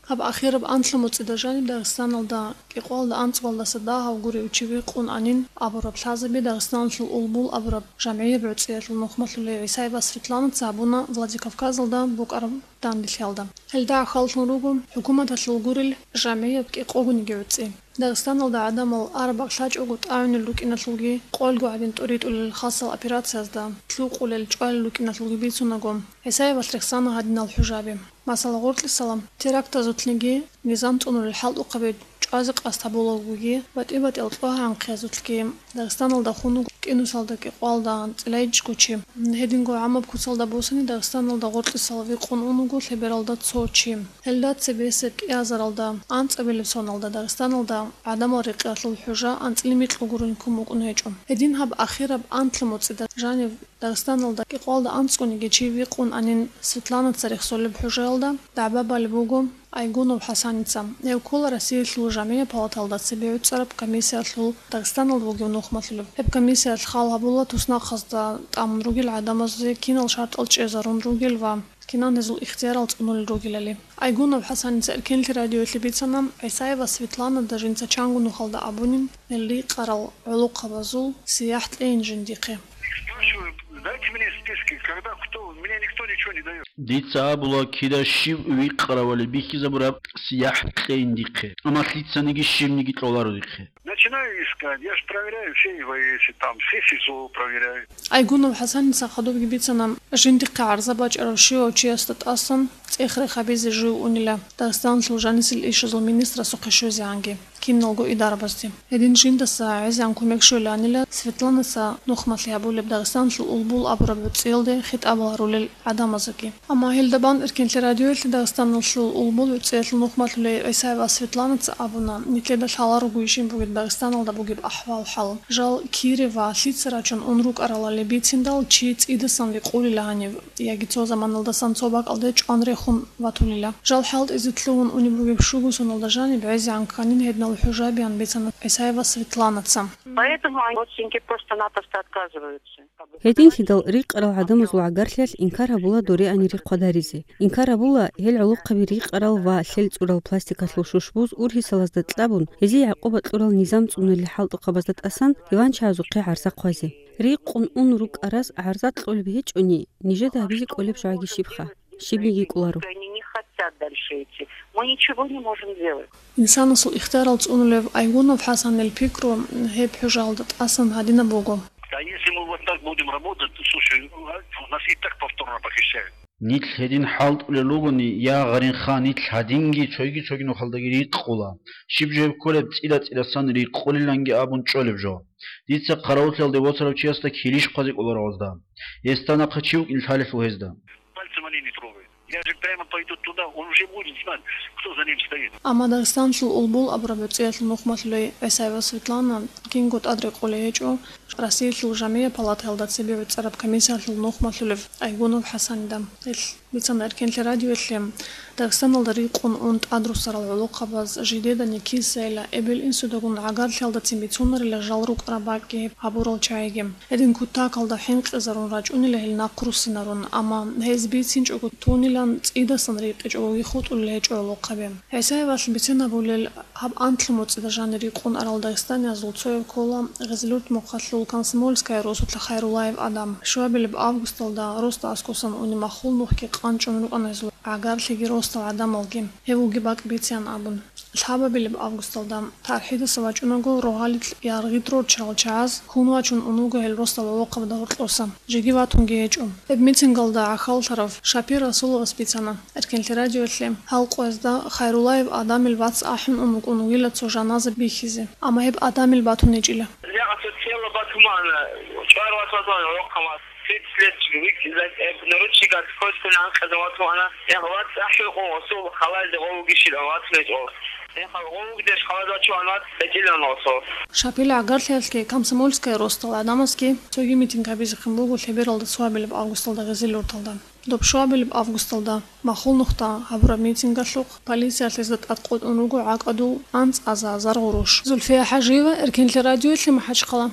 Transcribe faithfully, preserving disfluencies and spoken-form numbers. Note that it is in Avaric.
Гьаб ахираб анлъабилеб моцӀида жаниб Дагъистаналда кӀикъоялда анцӀгоялдаса дагьав гурев чи вихъун анин абураб лъазаби Дагъистаналъул «Улбул» абураб жамгӀияб гӀуцӀиялъул нухмалъулей ГӀисаева Светланаца гьабуна Владикавказалда букӀараб данделъиялда. Гьелда гӀахьаллъун руго хӀукуматалъул гурел жамгӀияб кӀикъогониги гӀуцӀи. Дагъистаналда гӀадамал араб-бакӀ лъачӀого тӀагӀунел рукӀиналъулги, къолго гӀадин тӀуритӀулел хасал операциязда лъукъулел чӀвалел рукӀиналъулги бицунаго, ГӀисаевалъ рехсана гьадинал хӀужаби. Масала, гъоркьисала терактазулъниги, низам цӀунулел хӀалтӀухъаби чӀвазе къасд гьабулагоги, батӀи-батӀиял кьогьа-гӀанхъиязулъги Дагъистаналда хун вуго кӀинусалда кӀикъоялда анцӀила гьечӀого чи. Гьединго гӀамаб куцалда босани Дагъистаналда гъоркьисал вихъун ун вуго лъебералда цо чи. Гьелда цебесеб кӀиазаралда анцӀабилеб соналда Дагъистаналда гӀадамал рекъиялъул хӀужа анцӀила микьго гурин ккун букӀун гьечӀо. Гьедин гьаб ахираб анлъабилеб моцӀида жанив Дагъистаналда кӀикъоялда анцӀгониги чи вихъун анин Светланаца рехсолеб хӀужаялда дагӀба балеб буго Айгунов ХӀасаница. Гьев ккола Россиялъул жамгӀияб палаталда цебе гӀуцӀараб комиссиялъул Дагъистаналда бугев нухмалъулев. Гьеб комиссиялъ хал гьабула туснахъазда тӀамун ругел гӀадамазе кинал шартӀал чӀезарун ругел ва кинан гьезул ихтиярал цӀунулел ругелали. Айгунов ХӀасаница Эркенлъи радиоялъе бицана, ГӀисаева Светланада жинца чанго нухалда абунин, гьел рикъарал гӀолохъабазул сияхӀ кьейин жиндихъе. Спрашиваю, дайте мне списки, когда кто, мне никто ничего не дает. Дица абула, кида щив вихъаравали бихьизабураб сияхӀ кьейин дихъе. Амма лъицаниги щибниги кьоларо дихъе. Начинаю искать, я ж проверяю все И В С, там, все СИЗО проверяю. Айгунов ХӀасаница хадубги бицана, жиндихъе гӀарза бачӀарав щивав чиясда тӀасан цӀех-рех гьабизе жив унила Дагъистаналъул жанисел ишазул министрасухъе щвезегӀанги киналго идарабазде. Гьедин жиндаса гӀезегӀан кумек щвеланила Светланаса нухмалъи гьабулеб Дагъистаналъул «Улбул» абураб гӀуцӀиялде хитӀабал гьарулел гӀадамазеги. Амма гьелда бан Эркенлъи радиоялъе Дагъистаналъул «Улбул» гӀуцӀиялъул нухмалъулей ГӀисаева Светланаца абуна, нилъеда лъаларогойищин бугеб Дагъистаналда бугеб ахӀвал-хӀал. Жал кире ва лъица рачун ун рукӀаралали бициндал чи цӀидасан рикъулила гьанив, яги цо заманалдасан цо бакӀалде чӀван рехун ватулила. Жал хӀалтӀизе лъугьун унеб бугеб щуго соналда жаниб гӀезегӀан кканин гьединал хӀужабиян бицана ГӀисаева Светланаца. Поэтому они, родственники, просто-напросто отказываются. Гьединлъидал рикъарал гӀадамазул гӀагарлъиялъ инкар гьабула дореани рихъ хъвадаризе. Инкар гьабула, гьел гӀолохъаби рикъарал ва лъел цӀурал пластикалъул шушбуз ургьисалазда кьабун, гьезие гӀакъуба кьурал низам цӀунулел хӀалтӀухъабазда тӀасан диванчагьазухъе гӀарза хъвазе. Рикъун ун рукӀарас гӀарза кьолеб гьечӀони, нижеда гьабизе кӀолеб жо гьаги щибха? Щибниги кӀоларо. Они не хотят дальше идти. Мы ничего не можем делать. Инсанасул ихтиярал цӀунулев Айгунов ХӀасанил пикру, гьеб хӀужаялда тӀасан гьадинаб буго. А если мы вот так будем работать, то, слушай, ну, а нас и так повторно похищают. Нилъ гьедин хӀалтӀулел ругони, я гъаринха, нилъ гьадинги цойги-цойги нухалдаги рикъула. Щиб жо гьеб кколеб, цӀила-цӀиласан рикъулиланги абун чӀолеб жо. Дица хъаравуллъиялде воцарав чиясда килищ хъвазе кӀоларо гьезда. Гьесда нахъа чи вукӀин лъалелъул гьезда. Пальцем они не трогают. Я же прямо пойду туда, он уже будет знать, кто за ним стоит. Амма Дагъистаналъул «Улбул» абураб гӀуцӀиялъул нухмалъулей ГӀисаева Светлана кинго тӀад рекъолей гьечӀо Россиялъул жамгӀияб палатаялда цебе гӀуцӀараб комиссиялъул нухмалъулев Айгунов ХӀасанида. Гьелъ бицана Эркенлъи радиоялъе, Дагъистаналда рикъун ун тӀадруссарал гӀолохъабаз жидедани кисайила, эбел-инсудагун гӀагарлъиялдацин бицунарила жал рукӀараб бакӀги гьабурал чагӀиги. Гьедин кутакалда хӀинкъизарун рачӀунила гьел нахъ руссинарун, амма гьез бицинчӀого тунилан цӀидасан рикъичӀого хутӀулел гьечӀо гӀолохъаби. ГӀисаевалъ бицинабулел гьаб анлъабилеб моцӀида жанир рикъун арал дагъистаниязул цояв ккола Гъизилурт мухъалъул Комсомольская росулъа Хайруллаев Адам. Щуабилеб августалда росда аскӀосан унеб маххул нухги къанчӀун рукӀана гьезул гӀагарлъиги росдал гӀадамалги. Гьев вугеб бакӀ бициан абун. Лъабабилеб августалда, тархӀидаса вачӀунаго, рогьалил яргъи рорччарал чагӀаз хьун вачун ун вуго гьел росдал гӀолохъабазда гьоркьоса, жеги ватунги гьечӀо. Гьеб митингалда гӀахьаллъарав Шапир Расуловас бицана Эркенлъи радиоялъе, гьал къоязда Хайруллаев Адамил вац ахӀун ун вукӀун вугила цо жаназа бихьизе, амма гьеб Адамил батун гьечӀила. Легъасул тело батумана, чӀвар вац ватуна гӀолохъабаз. Тридцать лет вик-, э, наручниках скотчтан анкъаза ватуна. Я, вац ахӀи къо, осул халалде гъов вугищилан вац гьечӀо. Я, хал гъов вугдеш халалде вачуан вац гьечӀилан осул. Шапил гӀагарлъиялъги Комсомольская росдал гӀадамазги цоги митинг гьабизехъин буго лъебералда цоабилеб августалда Гъизилурталда. Доб щуабилеб августалда маххул нухда гьабураб митингалъухъ полициялъ гьезда тӀадкъотӀун руго гӀакӀадул анцӀаза азар гъурущ. Зульфия ХӀажиева, Эркенлъи радиоялъе, МахӀачхъала.